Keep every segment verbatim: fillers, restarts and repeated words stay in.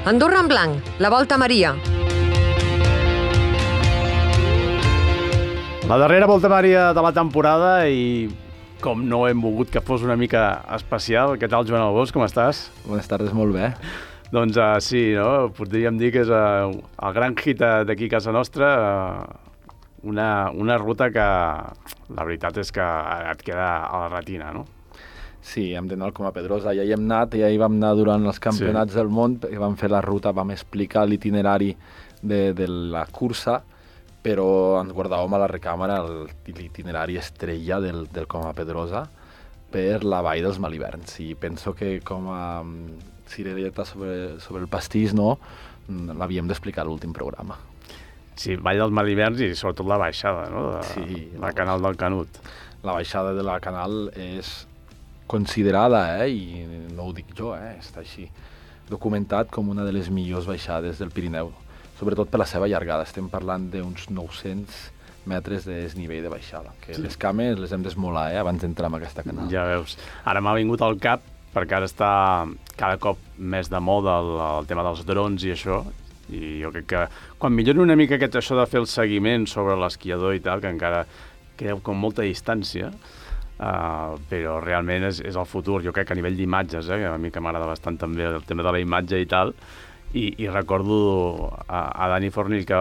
Andorra en blanc, la Volta Maria. La darrera Volta Maria de la temporada i com no hem volgut que fos una mica especial. Què tal, Joan Albós, com estàs? Bones tardes, molt bé. Doncs uh, sí, no? Podríem dir que és uh, el gran hit d'aquí a casa nostra, uh, una, una ruta que la veritat és que et queda a la retina, no? Sí, hem d'anar al Coma Pedrosa, ja hi hem anat, ja hi vam anar durant els campionats sí. del món, i vam fer la ruta, vam explicar l'itinerari de, de la cursa, però ens guardàvem a la recàmera l'itinerari estrella del, del Coma Pedrosa per la vall dels Maliverns. I penso que com a cirereta sobre, sobre el pastís, no, l'havíem d'explicar a l'últim programa. Sí, vall dels Maliverns i sobretot la baixada, no? De, sí, la Canal del Canut. La baixada de la Canal és considerada, eh, i no ho dic jo, eh, està així documentat com una de les millors baixades del Pirineu, sobretot per la seva llargada. Estem parlant d'uns nou-cents metres de desnivell de baixada, que sí. Les cames les hem d'esmolar, eh, abans d'entrar en aquesta canal. Ja veus. Ara m'ha vingut al cap, perquè ara està cada cop més de moda el, el tema dels drons i això, i jo crec que quan millori una mica aquest això de fer el seguiment sobre l'esquiador i tal, que encara queda com molta distància, Uh, però realment és, és el futur. Jo crec que a nivell d'imatges, eh, que a mi que m'agrada bastant també el tema de la imatge i tal, i, i recordo a, a Dani Fornill que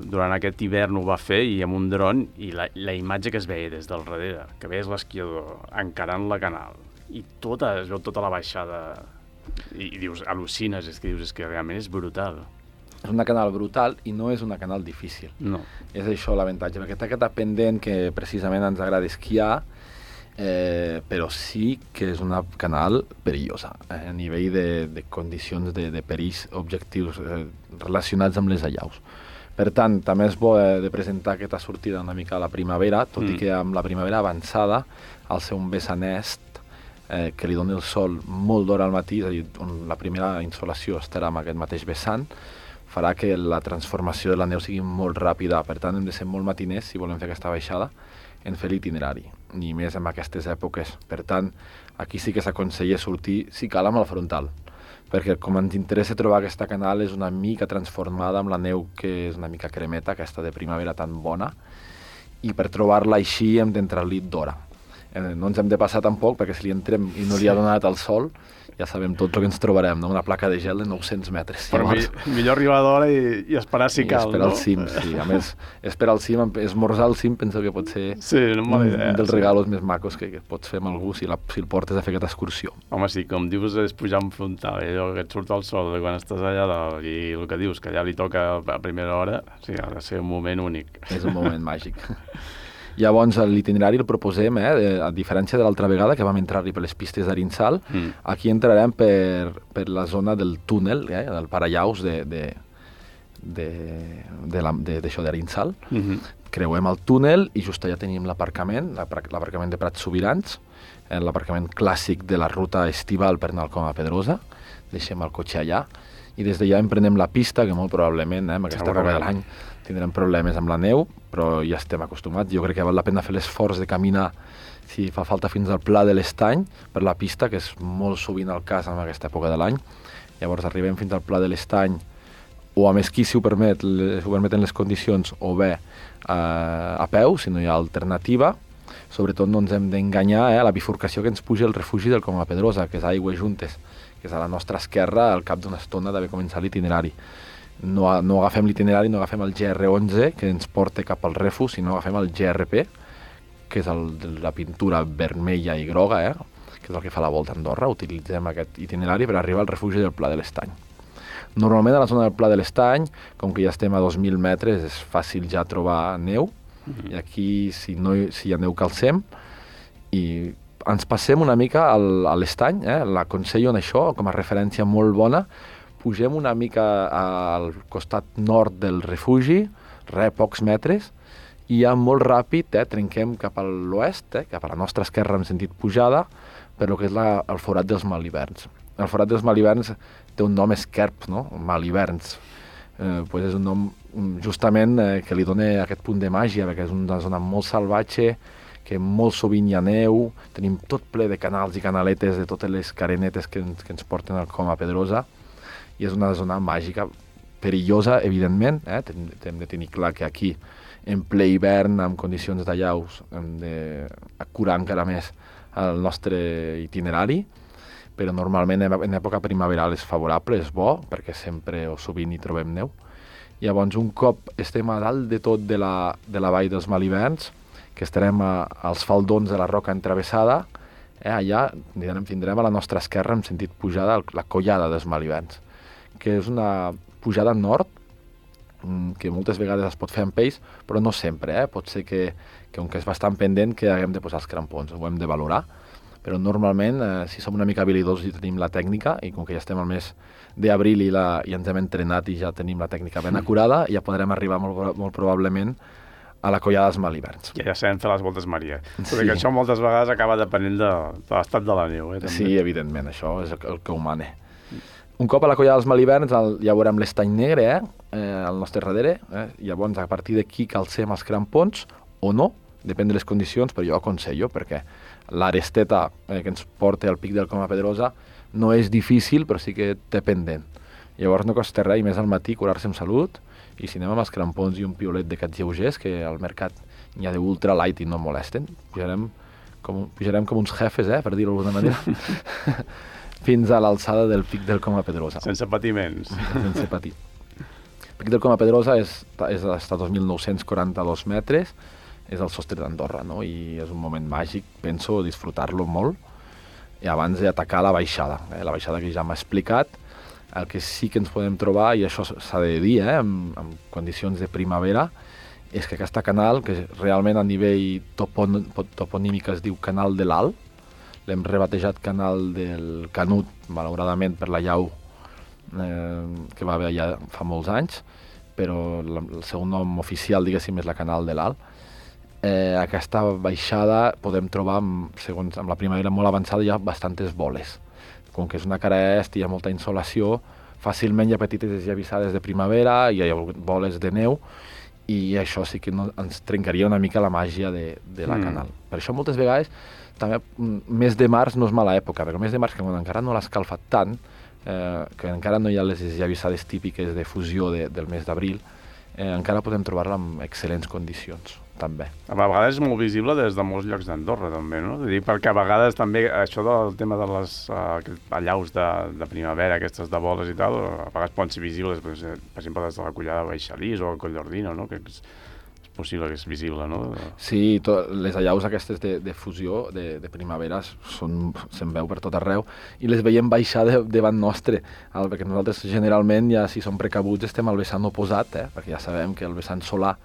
durant aquest hivern ho va fer i amb un dron, i la, la imatge que es veia des del darrere, que veies l'esquiador encarant la canal i tota, es veu tota la baixada i, i dius, al·lucines, és que dius, és que realment és brutal. És una canal brutal i no és una canal difícil. No. És això l'avantatge, perquè té aquesta pendent que precisament ens agrada esquiar, eh, però sí que és una canal perillosa, eh, a nivell de, de condicions de, de perills objectius eh, relacionats amb les allaus. Per tant, també és bo eh, de presentar aquesta sortida una mica a la primavera, tot mm. i que amb la primavera avançada, al ser un vessant est, eh, que li doni el sol molt d'hora al matí, és a dir, on la primera insolació estarà en aquest mateix vessant, farà que la transformació de la neu sigui molt ràpida. Per tant, hem de ser molt matiners si volem fer aquesta baixada en fer l'itinerari, ni més en aquestes èpoques. Per tant, aquí sí que s'aconsella sortir, si cal, amb el frontal, perquè com ens interessa trobar aquesta canal és una mica transformada amb la neu que és una mica cremeta, aquesta de primavera tan bona, i per trobar-la així hem d'entrar-li d'hora. Eh, no ens hem de passar tampoc, perquè si li entrem i no li ha donat el sol, ja sabem tot el que ens trobarem, no? Una placa de gel de nou-cents metres. Però mi, millor arribar d'hora i, i esperar si I cal, esperar no? al cim, sí. A més, esperar al cim, esmorzar al cim, penso que pot ser sí, no un, idea, un dels sí. regalos més macos que, que pots fer amb algú si, la, si el portes a fer aquesta excursió. Home, sí, com dius, és pujar en frontal, eh? Allò que et surt el sol de quan estàs allà dalt, i el que dius, que allà li toca a primera hora, sí, ha de ser un moment únic. És un moment màgic. Llavors, l'itinerari el proposem, eh, a diferència de l'altra vegada, que vam entrar-hi per les pistes d'Arinsal, mm. aquí entrarem per, per la zona del túnel, eh, del parallaus de, de, de, de, la, de, d'això d'Arinsal. Mm-hmm. Creuem el túnel i just allà tenim l'aparcament, l'aparcament de Prats Sobirans, eh, l'aparcament clàssic de la ruta estival per anar al Coma Pedrosa. Deixem el cotxe allà i des d'allà emprenem la pista, que molt probablement, eh, en aquesta època de l'any, tindrem problemes amb la neu, però ja estem acostumats. Jo crec que val la pena fer l'esforç de caminar, si fa falta, fins al Pla de l'Estany, per la pista, que és molt sovint el cas en aquesta època de l'any. Llavors arribem fins al Pla de l'Estany, o amb esquí, si ho, permet, si ho permeten les condicions, o bé eh, a peu, si no hi ha alternativa. Sobretot no ens hem d'enganyar eh, a la bifurcació que ens puja el refugi del Coma Pedrosa, que és Aigües Juntes, que és a la nostra esquerra al cap d'una estona d'haver començat l'itinerari. No, no agafem l'itinerari, no agafem el G R onze, que ens porta cap al Refu, sinó agafem el G R P, que és el, la pintura vermella i groga, eh? Que és el que fa la volta a Andorra. Utilitzem aquest itinerari per arribar al refugi del Pla de l'Estany. Normalment a la zona del Pla de l'Estany, com que ja estem a dos mil metres, és fàcil ja trobar neu, mm-hmm. i aquí, si, no, si hi ha neu, calcem, i ens passem una mica al, a l'estany, eh? L'aconsello en això, com a referència molt bona. Pugem una mica al costat nord del refugi, re, pocs metres, i ja molt ràpid eh, trenquem cap a l'oest, eh, cap a la nostra esquerra en sentit pujada, per lo que és la, el forat dels Maliverns. El forat dels Maliverns té un nom esquerp, no? Maliverns. Eh, pues és un nom justament eh, que li dona aquest punt de màgia, perquè és una zona molt salvatge, que molt sovint hi ha neu, tenim tot ple de canals i canaletes de totes les carenetes que ens, que ens porten al Coma Pedrosa. i és una zona màgica, perillosa, evidentment, eh? Hem, hem de tenir clar que aquí, en ple hivern, amb condicions d'allaus, hem d'acurar encara més el nostre itinerari, però normalment en època primaveral és favorable, és bo, perquè sempre o sovint hi trobem neu. Llavors, un cop estem a dalt de tot de la, de la vall dels Malibens, que estarem a, als faldons de la roca entravessada, eh, allà tindrem, tindrem a la nostra esquerra, en sentit pujada, la collada dels Malibens, que és una pujada nord, que moltes vegades es pot fer amb peix, però no sempre, eh? Pot ser que, que, com que és bastant pendent, que haguem de posar els crampons, ho hem de valorar, però normalment, eh, si som una mica habilidosos i tenim la tècnica, i com que ja estem al mes d'abril i, la, i ens hem entrenat i ja tenim la tècnica ben acurada, ja podrem arribar molt, molt probablement a la collada dels Malibens. Ja, ja sabem fer les voltes Maria. Sí. Perquè això moltes vegades acaba depenent de, de l'estat de la neu. Eh, també. Sí, evidentment, això és el, el que ho mane. Un cop a la collada dels Malibens el, ja veurem l'estany negre, eh, eh, al nostre darrere, eh, llavors a partir d'aquí calcem els crampons o no, depèn de les condicions, però jo aconsello, perquè l'aresteta eh, que ens porta al pic del Coma Pedrosa no és difícil, però sí que té pendent. Llavors no costa res, i més al matí, curar-se amb salut, i si anem amb els crampons i un piolet d'aquests lleugers, que al mercat n'hi ha d'ultra light i no molesten, pujarem com, pujarem com uns jefes, eh, per dir-ho d'alguna manera, fins a l'alçada del pic del Coma Pedrosa. Sense patiments. Sense patir. El pic del Coma Pedrosa és, és està a dos mil nou-cents quaranta-dos metres, és el sostre d'Andorra, no? I és un moment màgic, penso, disfrutar-lo molt, i abans d'atacar la baixada, eh? La baixada que ja m'ha explicat. El que sí que ens podem trobar, i això s'ha de dir, eh? en, en condicions de primavera, és que aquesta canal, que realment a nivell topon, toponímic es diu Canal de l'Alt, l'hem rebatejat Canal del Canut, malauradament per la llau eh, que va haver ja fa molts anys, però la, el seu nom oficial, diguéssim, és la Canal de l'Alt. Eh, aquesta baixada podem trobar, segons amb la primavera molt avançada, hi ha bastantes boles. Com que és una cara est i hi ha molta insolació, fàcilment hi ha petites esllavissades de primavera, hi ha boles de neu, i això sí que no, ens trencaria una mica la màgia de, de la mm. canal. Per això moltes vegades, també, mes de març no és mala època, perquè el mes de març, que quan encara no l'ha escalfat tant, eh, que encara no hi ha les esllavissades típiques de fusió de, del mes d'abril, eh, encara podem trobar-la en excel·lents condicions, també. A vegades és molt visible des de molts llocs d'Andorra, també, no? Dic, perquè a vegades també això del tema de les uh, allaus de, de primavera, aquestes de boles i tal, a vegades poden ser visibles, per exemple, des de la collada de Baixalís o el Coll d'Ordino, no? Que és, és possible que és visible, no? Sí, to, les allaus aquestes de, de fusió, de, de primavera, són, se'n veu per tot arreu, i les veiem baixar de, davant nostre, el, perquè nosaltres generalment, ja si som precabuts, estem al vessant oposat, eh? Perquè ja sabem que el vessant solar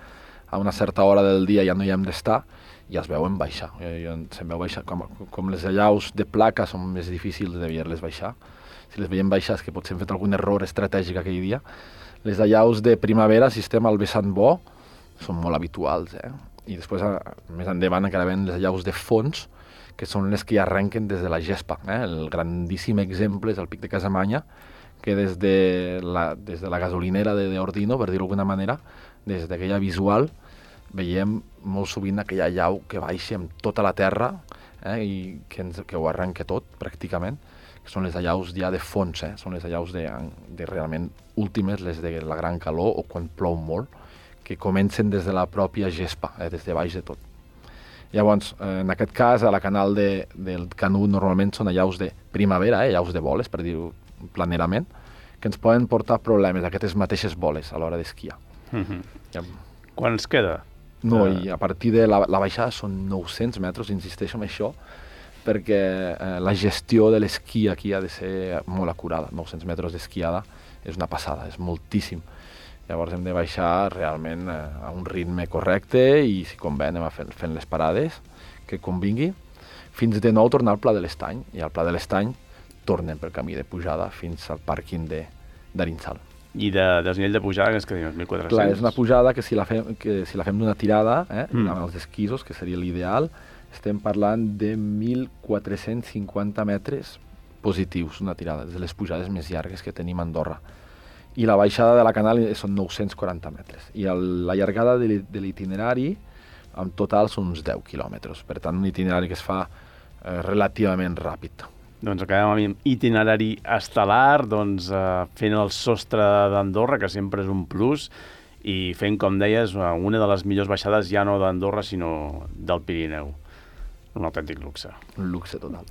a una certa hora del dia ja no hi hem d'estar, i es veuen baixar. I, i se'n veu baixar. Com, com les allaus de placa són més difícils de veure-les baixar, si les veiem baixar és que potser hem fet algun error estratègic aquell dia. Les allaus de primavera, si estem al vessant bo, són molt habituals, eh? I després, més endavant, encara ven les allaus de fons, que són les que arrenquen des de la gespa. Eh? El grandíssim exemple és el pic de Casamanya, que des de la, des de la gasolinera de, de Ordino, per dir-ho d'alguna manera, des d'aquella visual, veiem molt sovint aquella llau que baixa amb tota la terra, eh, i que, ens, que ho arrenca tot, pràcticament, que són les allaus ja de fons, eh, són les allaus de, de realment últimes, les de la gran calor o quan plou molt, que comencen des de la pròpia gespa, eh, des de baix de tot. Llavors, eh, en aquest cas, a la canal de, del Canut normalment són allaus de primavera, eh, allaus de boles, per dir-ho planerament, que ens poden portar problemes, aquestes mateixes boles, a l'hora d'esquiar. Mm-hmm. Ja. Quan ens queda? No, i a partir de la, la baixada són nou-cents metres, insisteixo en això, perquè eh, la gestió de l'esquí aquí ha de ser molt acurada. nou-cents metres d'esquiada és una passada, és moltíssim. Llavors hem de baixar realment eh, a un ritme correcte i, si convé, anem a fent, fent les parades que convingui, fins de nou tornar al Pla de l'Estany, i al Pla de l'Estany tornem pel camí de pujada fins al pàrquing d'Arinsal. I de desnivell de pujada, que és que dius, mil quatre-cents? Clar, és una pujada que si la fem, que si la fem d'una tirada, eh, mm. amb els esquisos, que seria l'ideal, estem parlant de mil quatre-cents cinquanta metres positius, una tirada, de les pujades més llargues que tenim a Andorra. I la baixada de la canal són nou-cents quaranta metres. I el, la llargada de l'itinerari, en total, són uns deu quilòmetres. Per tant, un itinerari que es fa eh, relativament ràpid. doncs acabem amb itinerari estel·lar, doncs eh, fent el sostre d'Andorra, que sempre és un plus, i fent, com deies, una de les millors baixades ja no d'Andorra, sinó del Pirineu. Un autèntic luxe. Un luxe total.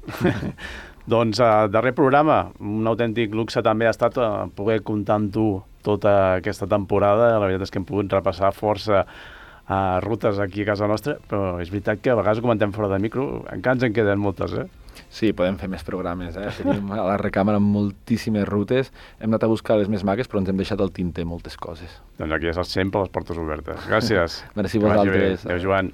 Doncs, uh, darrer programa, un autèntic luxe també ha estat uh, poder comptar amb tu tota aquesta temporada. La veritat és que hem pogut repassar força uh, rutes aquí a casa nostra, però és veritat que a vegades ho comentem fora de micro, encara ens en queden moltes, eh? Sí, podem fer més programes, eh? Tenim a la recàmera moltíssimes rutes, hem anat a buscar les més maques, però ens hem deixat al tinter moltes coses. Doncs aquí ja saps, sempre les portes obertes. Gràcies. Merci a vosaltres. Adéu, Joan.